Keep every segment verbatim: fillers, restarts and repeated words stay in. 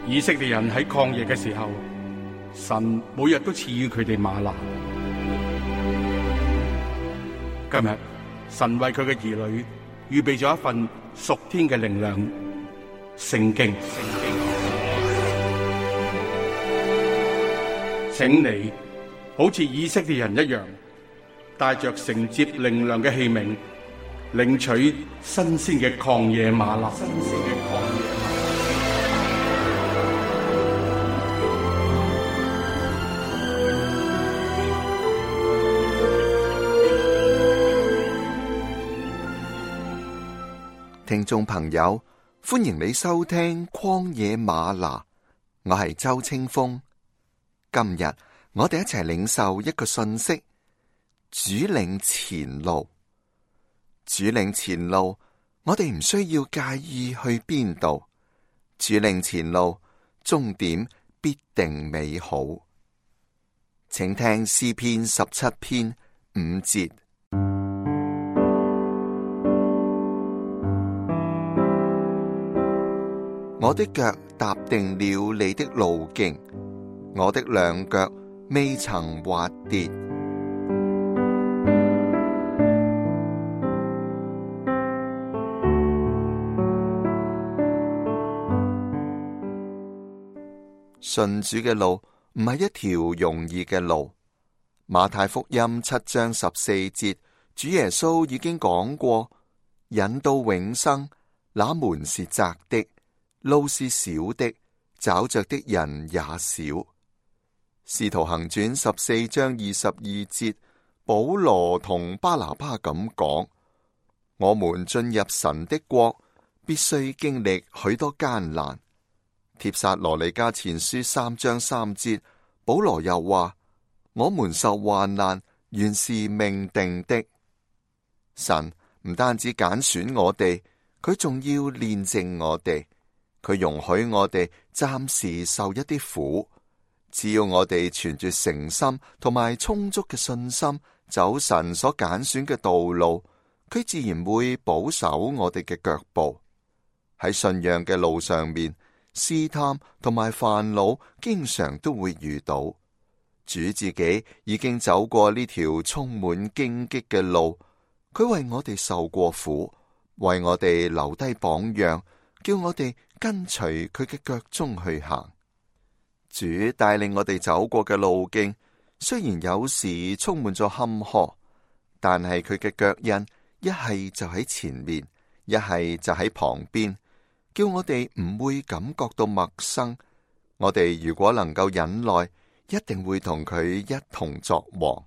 以色列人喺曠野嘅時候，神每日都賜予佢哋嗎哪。今日神為佢嘅兒女預備咗一份屬天嘅靈糧——聖經。請你好似以色列人一樣，帶着承接靈糧嘅器皿，領取新鮮嘅曠野嗎哪。新鮮嘅曠野嗎哪。聽眾朋友，歡迎你收聽曠野嗎哪，我係周清風。今日我哋一齊領受一個信息：主領前路。主領前路，我哋唔需要介意去邊度。主領前路，終點必定美好。請聽詩篇十七篇五節。我的腳踏定了你的路徑，我的兩腳未曾滑跌。信主嘅路唔係一條容易嘅路。馬太福音七章十四節，主耶穌已經講過：引到永生，那門是窄的，路是小的，找着的人也少。使徒行傳十四章二十二節，保羅同巴拿巴咁講：我們進入神的國，必須經歷許多艱難。帖撒羅尼迦前書三章三節，保羅又話：我們受患難，原是命定的。神唔單止揀選我哋，佢仲要煉淨我哋。佢容許我哋暫時受一啲苦，只要我哋存住誠心同埋充足嘅信心，走神所揀選嘅道路，佢自然會保守我哋嘅腳步。喺信仰嘅路上面，試探同埋煩惱經常都會遇到。主自己已經走過呢條充滿荊棘嘅路，佢為我哋受過苦，為我哋留低榜樣，叫我哋跟隨佢嘅腳蹤去行。主帶領我哋走過嘅路徑，雖然有時充滿咗坎坷，但係佢嘅腳印一係就喺前面，一係就喺旁邊，叫我哋唔會感覺到陌生。我哋如果能夠忍耐，一定會同佢一同作王。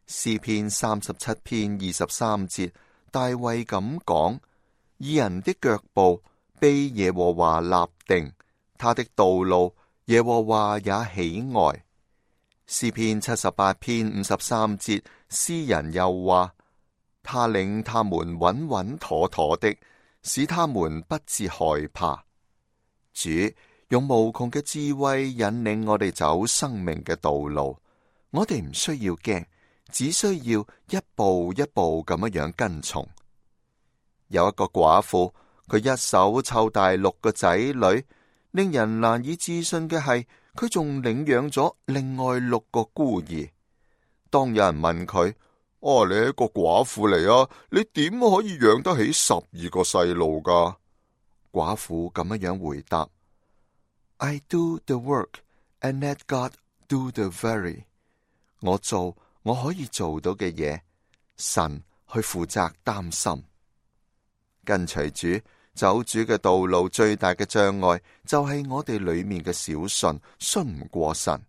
詩篇三十七篇二十三節，大衛咁講：義人的腳步被耶和華立定，他的道路耶和華也喜愛。詩篇七十八篇五十三節，詩人又話：他領他們穩穩妥妥的，使他們不致害怕。主用無窮嘅智慧引領我哋走生命嘅道路，我哋唔需要驚，只需要一步一步咁樣樣跟從。有一個寡婦，佢一手湊大六個仔女，令人難以置信嘅係，佢仲領養咗另外六個孤兒。當有人問佢：哦，你係一個寡婦嚟啊，你點可以養得起十二個細路噶？寡婦咁樣樣回答：I do the work and let God do the very。我做我可以做到嘅嘢，神去負責擔心。跟隨主走主嘅道路，最大嘅障礙就係我哋裏面嘅小信，信唔過神。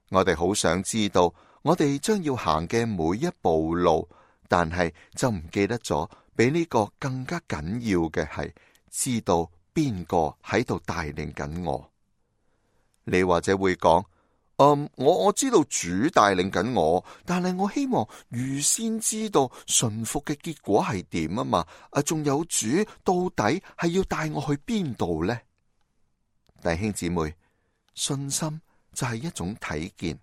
我哋好想知道我哋將要行嘅每一步路，但係就唔記得咗，比呢個更加緊要嘅係知道邊個喺度帶領緊我。你或者會講：嗯，我我知道主帶領緊我，但係我希望預先知道順服嘅結果係點啊嘛。啊，仲有主到底係要帶我去邊度呢？弟兄姊妹，信心就係一種睇見，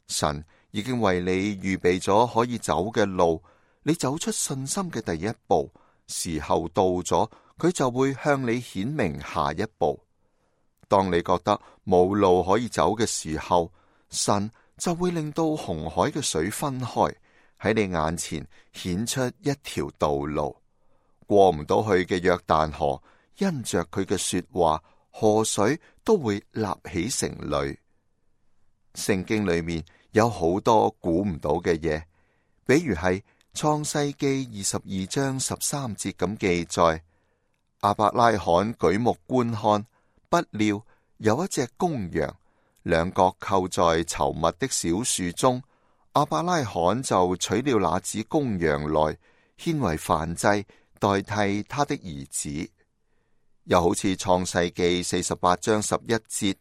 神已經為你預備咗可以走嘅路，你走出信心嘅第一步，時候到咗，佢就會向你顯明下一步。當你覺得冇路可以走嘅時候，神就會令到紅海嘅水分開，喺你眼前顯出一條道路。過唔到去嘅約旦河，因着佢嘅說話，河水都會立起成壘。聖經裏面有好多估唔到嘅嘢，比如係創世記二十二章十三節咁記載，亞伯拉罕舉目觀看，不料有一隻公羊，兩角扣在稠密的小樹中，亞伯拉罕就取了那隻公羊來，獻為燔祭，代替他的兒子。又好似創世記四十八章十一節，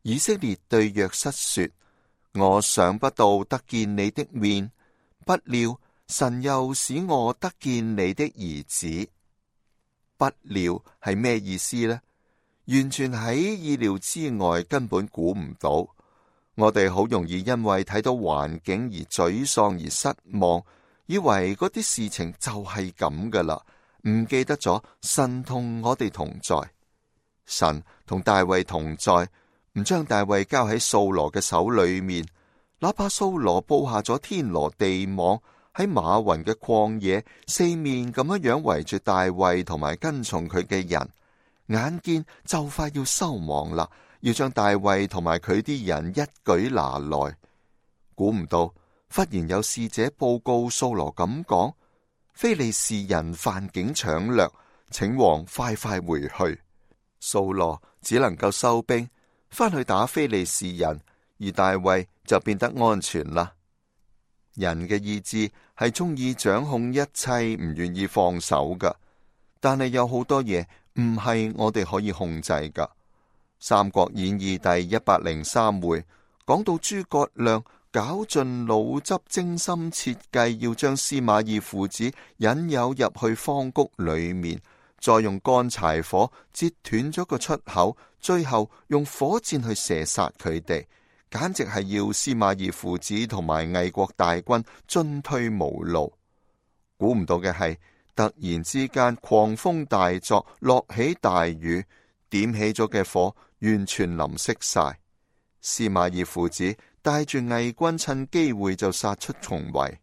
以色列對約瑟說：我想不到得見你的面，不料神又使我得見你的兒子。不料係咩意思呢？完全喺意料之外，根本估唔到。我哋好容易因為睇到環境而沮喪而失望，以為嗰啲事情就係咁噶啦，唔記得咗神同我哋同在。神同大衛同在，唔將大衛交喺掃羅嘅手裏面，哪怕掃羅布下咗天羅地網，喺馬雲嘅曠野四面咁樣樣圍住大衛同埋跟從佢嘅人，眼見就快要收網啦，要將大衛同埋佢啲人一舉拿來。估唔到忽然有使者報告掃羅咁講：非利士人犯境搶掠，請王快快回去。掃羅只能夠收兵翻去打非利士人，而大衛就變得安全啦。人嘅意志係中意掌控一切，唔願意放手噶。但係有好多嘢唔係我哋可以控制噶。《三國演義》第一百零三回講到諸葛亮絞盡腦汁，精心設計要將司馬懿父子引誘入去荒谷裏面，再用乾柴火截斷咗個出口，最後用火箭去射殺佢哋。簡直係要司馬懿父子同埋魏國大軍進退無路。估唔到嘅係，突然之間狂風大作，落起大雨，點起咗嘅火完全淋熄晒。司馬懿父子帶住魏軍趁機會就殺出重圍。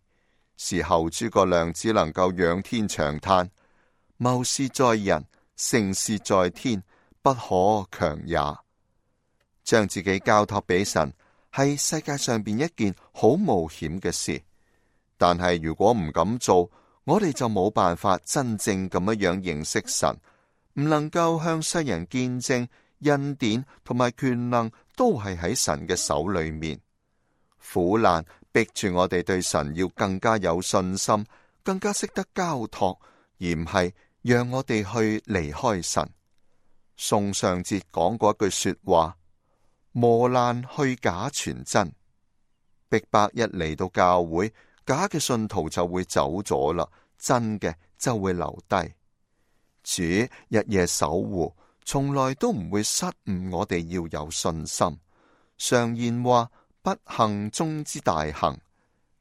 事後諸葛亮只能夠仰天長嘆：謀事在人，成事在天，不可強也。將自己交託俾神係世界上邊一件好冒險嘅事，但係如果唔咁做，我哋就冇辦法真正咁樣樣認識神，唔能夠向世人見證恩典同埋權能都係喺神嘅手裏面。苦難逼住我哋對神要更加有信心，更加識得交託，而唔係讓我哋去離開神。宋尚節講過一句說話：磨難去假傳真。逼迫一嚟到教會，假嘅信徒就會走咗啦，真嘅就會留低。主日夜守護，從來都唔會失誤我哋要有信心。常言話：不幸中之大幸。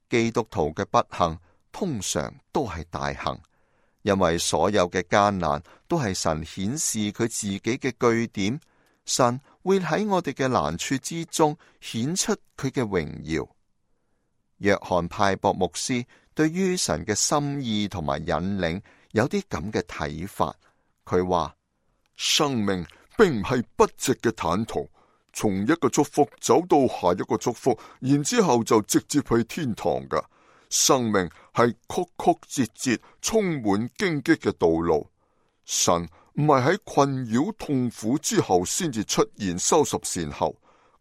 基督徒嘅不幸通常都係大幸，因為所有嘅艱難都係神顯示佢自己嘅據點。神會喺我哋嘅難處之中顯出佢嘅榮耀。約翰派博牧師對於神嘅心意同埋引領有啲咁嘅睇法。佢話：生命並唔係筆直嘅坦途，從一個祝福走到下一個祝福，然之後就直接去天堂噶。生命係曲曲折折、充滿荊棘嘅道路。神唔係喺困擾痛苦之後先至出現收拾善後，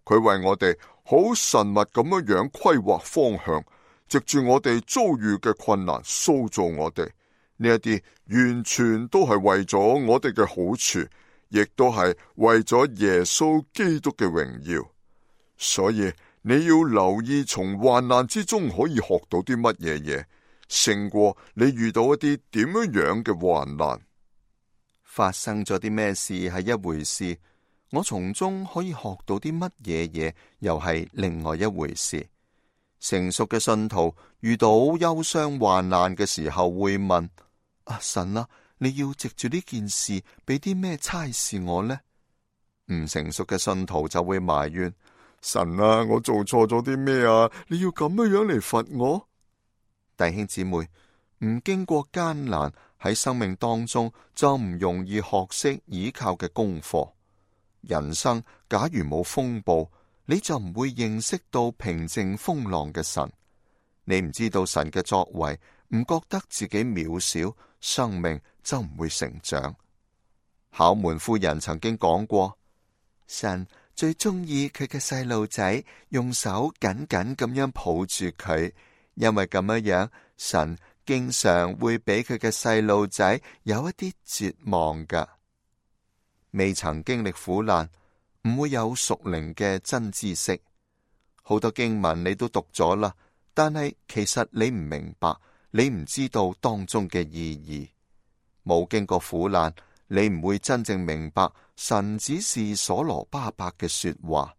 佢為我哋好神密咁樣樣規劃方向，藉住我哋遭遇嘅困難塑造我哋。呢一啲完全都係為咗我哋嘅好處，亦都係為咗耶穌基督嘅榮耀。所以你要留意從患難之中可以學到啲乜嘢嘢，勝過你遇到一啲點樣樣嘅患難。發生咗啲咩事係一回事，我從中可以學到啲乜嘢嘢又係另外一回事。成熟嘅信徒遇到憂傷患難嘅時候會問：啊，神啊，你要藉住呢件事俾啲咩差事我呢？唔成熟嘅信徒就會埋怨：神啊，我做錯咗啲咩啊？你要咁樣樣嚟罰我？弟兄姊妹，唔經過艱難喺生命當中就唔容易學識倚靠嘅功課。人生假如冇風暴，你就唔會認識到平靜風浪嘅神。你唔知道神嘅作為，唔覺得自己渺小，生命就唔會成長。考門夫人曾經講過，神最中意佢嘅細路仔用手緊緊咁樣抱住佢，因為咁樣樣，神經常會俾佢嘅細路仔有一啲絕望噶。未曾經歷苦難，唔會有屬靈嘅真知識。好多經文你都讀咗啦，但係其實你唔明白，你唔知道當中嘅意義。冇經過苦難，你唔會真正明白神指示所羅巴伯嘅說話，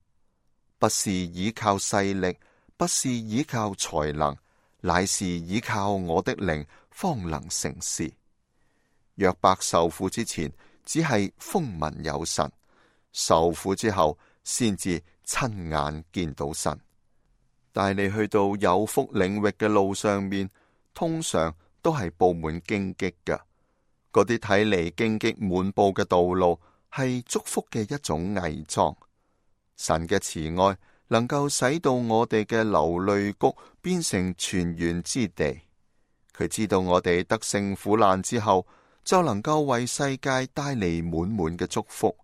不是倚靠勢力，不是倚靠才能，乃是倚靠我的靈，方能成事。約伯受苦之前，只係風聞有神；受苦之後，先至親眼見到神。帶你去到有福領域嘅路上面，通常都係布滿荊棘㗎。嗰啲睇嚟荊棘滿布嘅道路，係祝福嘅一種偽裝。神嘅慈愛能夠使到我哋嘅流淚谷變成泉源之地。佢知道我哋得勝苦難之後，就能夠為世界帶嚟滿滿嘅祝福。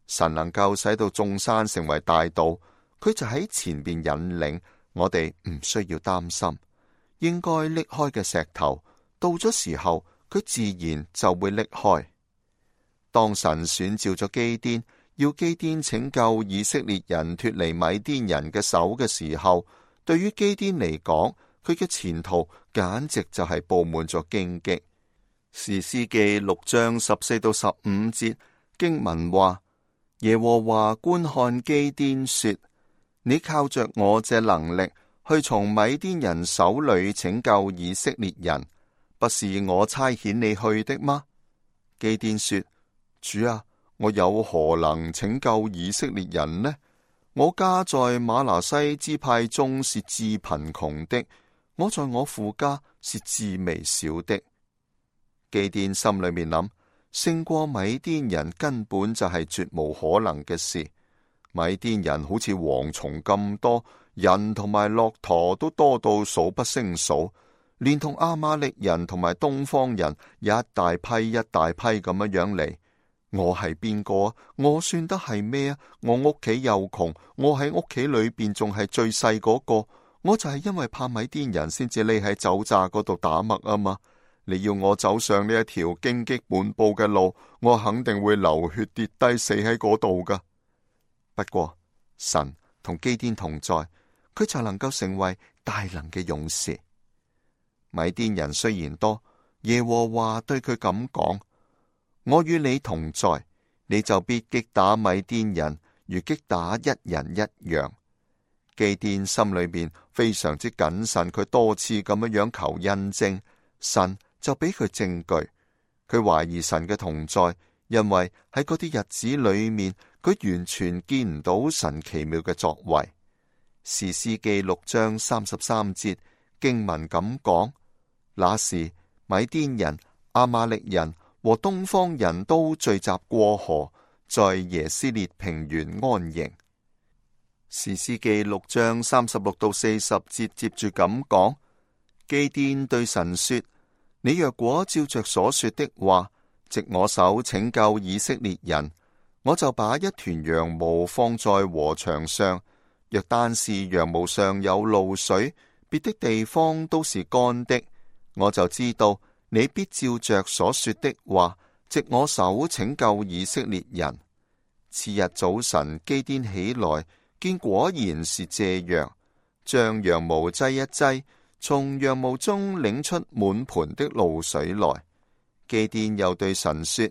神能夠使到眾山成為大道，佢就喺前邊引領我哋，唔需要擔心。應該拎開嘅石頭，到咗時候，佢自然就會拎開。當神選召咗基甸，要基甸拯救以色列人脫離米甸人嘅手嘅時候，對於基甸嚟講，佢嘅前途簡直就係布滿咗荊棘。士師記六章十四到十五節經文話：耶和華觀看基甸說，你靠着我這能力去從米甸人手裏拯救以色列人，不是我差遣你去的嗎？基甸說：主啊，我有何能拯救以色列人呢？我家在瑪拿西支派中是至貧窮的，我在我父家是至微小的。基甸心裏面諗，勝過米甸人根本就係絕無可能嘅事。米甸人好似蝗蟲咁多，人同埋駱駝都多到數不勝數，連同亞瑪力人同埋東方人一大批一大批咁樣樣嚟。我係邊個啊？我算得係咩啊？我屋企又窮，我喺屋企裏邊仲係最細嗰個，我就係因為怕米甸人先至匿喺酒榨嗰度打麥啊嘛。你要我走上呢一條荊棘滿布嘅路，我肯定會流血跌低死喺嗰度噶。不過神同基甸同在，佢就能夠成為大能嘅勇士。米甸人雖然多，耶和華對佢咁講：我與你同在，你就必擊打米甸人，如擊打一人一樣。基甸心裏面非常之謹慎，佢多次咁樣樣求印證，神就俾佢證據。佢懷疑神嘅同在，因為喺嗰啲日子裏面，佢完全見唔到神奇妙嘅作為。士師記六章三十三節經文咁講：那時米甸人、亞瑪力人和東方人都聚集過河，在耶斯列平原安營。士師記六章三十六到四十節接住咁講：基甸對神說，你若果照着所說的話，藉我手拯救以色列人，我就把一團羊毛放在禾場上，若單是羊毛上有露水，別的地方都是乾的，我就知道你必照着所說的話，藉我手拯救以色列人。次日早晨，基甸起來，見果然是這樣，將羊毛擠一擠，從羊毛中領出滿盆的露水來。基甸又對神說：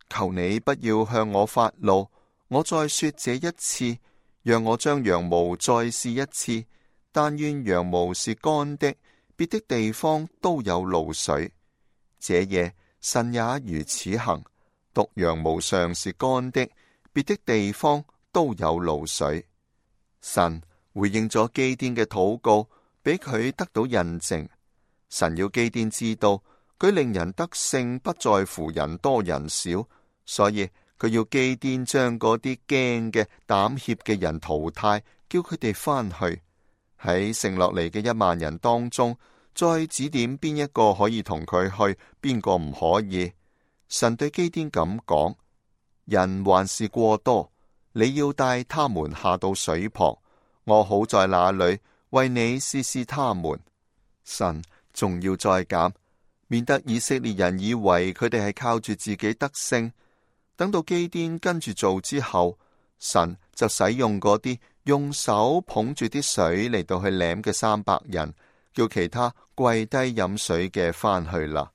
求你不要向我發怒，我再說這一次，讓我將羊毛再試一次。但願羊毛是乾的，別的地方都有露水。這夜神也如此行，獨羊毛上是乾的，別的地方都有露水。神回應咗基甸嘅禱告，俾佢得到印證。神要基甸知道，佢令人得勝不在乎人多人少，所以佢要基甸將嗰啲驚嘅膽怯嘅人淘汰，叫佢哋翻去。喺剩落嚟嘅一萬人當中，再指點邊一個可以同佢去，邊個唔可以。神對基甸咁講：人還是過多，你要帶他們下到水旁，我好在那裏為你試試他們。神仲要再減，免得以色列人以為佢哋係靠住自己得勝。等到基甸跟住做之後，神就使用嗰啲用手捧住啲水嚟到去舐嘅三百人，叫其他跪低飲水嘅翻去啦。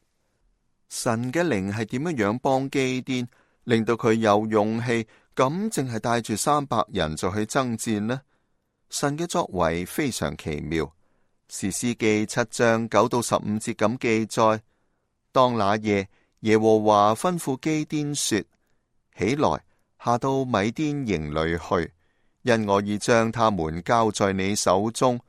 神嘅靈係點樣樣幫基甸，令到佢有勇氣咁淨係帶住三百人就去爭戰呢？神嘅作為非常奇妙。士師記七章九到十五節咁記載：當那夜，耶和華吩咐基甸說：起來，下到米甸營裏去，因我已將他們交在你手中。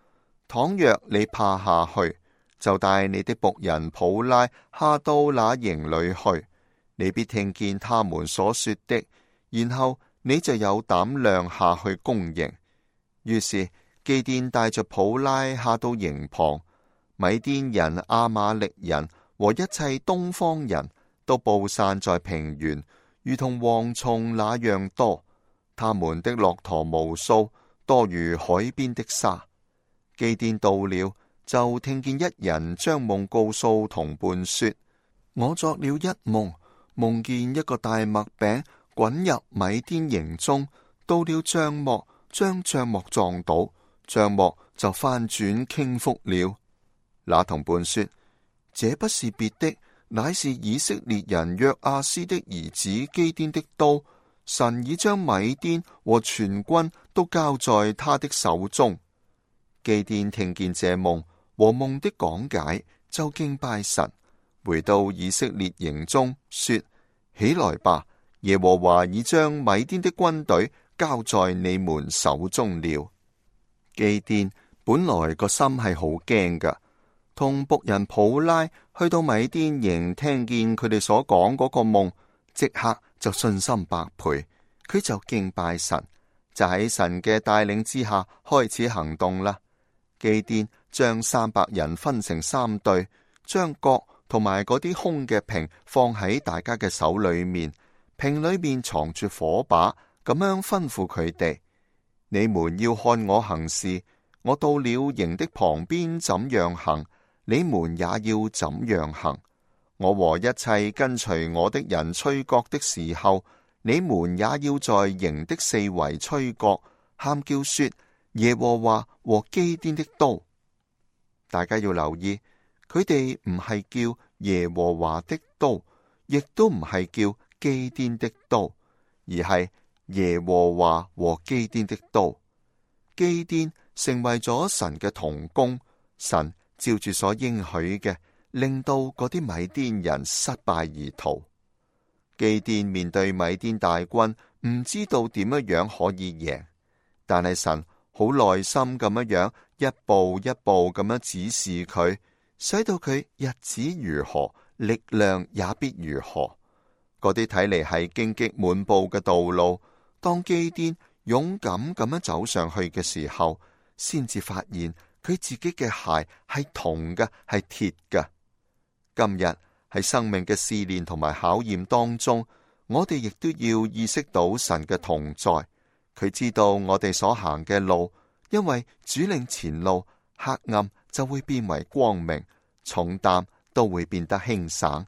倘若你怕下去，就帶你的僕人普拉下到那營裏去，你必聽見他們所說的，然後你就有膽量下去攻營。於是基甸帶着普拉下到營旁，米甸人、亞瑪力人和一切東方人都布散在平原，如同蝗蟲那樣多。他們的駱駝無數，多如海邊的沙。基甸到了，就聽見一人將夢告訴同伴說：我作了一夢，夢見一個大麥餅滾入米甸營中，到了帳幕，將帳幕撞倒，帳幕就翻轉傾覆了。那同伴說：這不是別的，乃是以色列人約阿斯的兒子基甸的刀。神已將米甸和全軍都交在他的手中。基甸聽見這夢和夢的講解，就敬拜神，回到以色列營中說：起來吧，耶和華已將米甸的軍隊交在你們手中了。基甸本來個心係好驚噶，同僕人普拉去到米甸營，聽見佢哋所講嗰個夢，即刻就信心百倍，佢就敬拜神，就喺神嘅帶領之下開始行動啦。基甸將三百人分成三隊，將角同埋嗰啲空嘅瓶放喺大家嘅手裏面，瓶裏面藏住火把，咁樣吩咐佢哋：你們要看我行事，我到了營的旁邊怎樣行，你們也要怎樣行。我和一切跟隨我的人吹角的時候，你們也要在營的四圍吹角，喊叫說：耶和華和基甸的刀。大家要留意，佢哋唔係叫耶和華的刀，亦都唔係叫基甸的刀，而係耶和華和基甸的刀。基甸成為咗神嘅同工，神照住所應許嘅，令到嗰啲米甸人失敗而逃。基甸面對米甸大軍，唔知道點樣樣可以贏，但係神好耐心咁樣樣，一步一步咁樣指示佢，使到佢日子如何，力量也必如何。嗰啲睇嚟係荊棘滿布嘅道路，當基甸勇敢咁樣走上去嘅時候，先至發現佢自己嘅鞋係銅嘅，係鐵嘅。今日喺生命嘅試煉同埋考驗當中，我哋亦都要意識到神嘅同在。佢知道我哋所行嘅路，因為主領前路，黑暗就會變為光明，重擔都會變得輕省。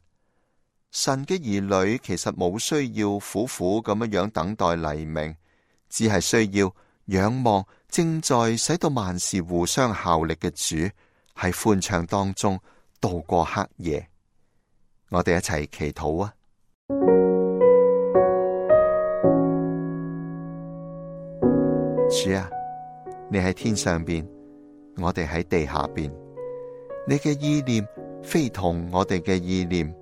神嘅兒女其實冇需要苦苦咁樣樣等待黎明，只係需要仰望正在使到萬事互相效力嘅主，喺歡暢當中度過黑夜。我哋一齊祈禱啊！主啊，你喺天上邊，我哋喺地下邊，你嘅意念非同我哋嘅意念，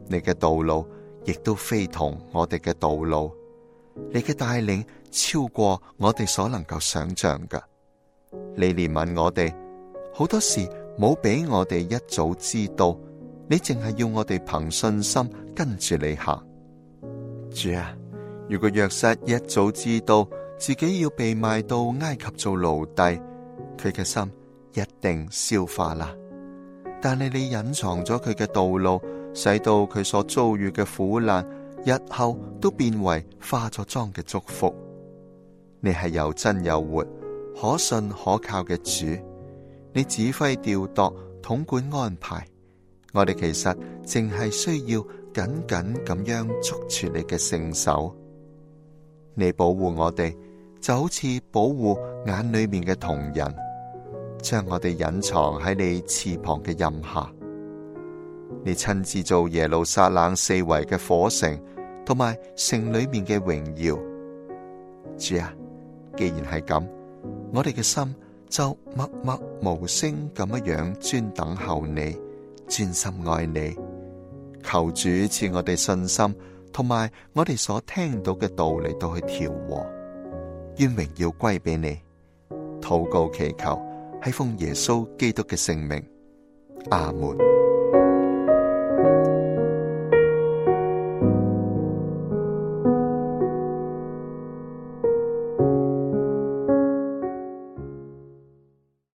你嘅道路亦都非同我哋嘅道路。你嘅帶領超過我哋所能夠想象㗎。你憐憫我哋，好多事冇俾我哋一早知道，你淨係要我哋憑信心跟住你行。主啊，如果約瑟一早知道自己要被賣到埃及做奴隸，佢嘅心一定消化啦。但係你隱藏咗佢嘅道路，使到佢所遭遇嘅苦難日後都變為化咗妝嘅祝福。你係又真又活、可信可靠嘅主，你指揮調度、統管安排，我哋其實淨係需要緊緊咁樣捉住你嘅聖手。你保護我哋，就好似保護眼裏面嘅瞳人，將我哋隱藏喺你翅膀嘅蔭下。你親自做耶路撒冷四圍嘅火城，同埋城裏面嘅榮耀。主啊，既然係咁，我哋嘅心就默默無聲咁樣專等候你，專心愛你。求主賜我哋信心，同埋我哋所聽到嘅道嚟到去調和。願榮耀歸俾你。禱告祈求係奉耶穌基督嘅聖名。阿門。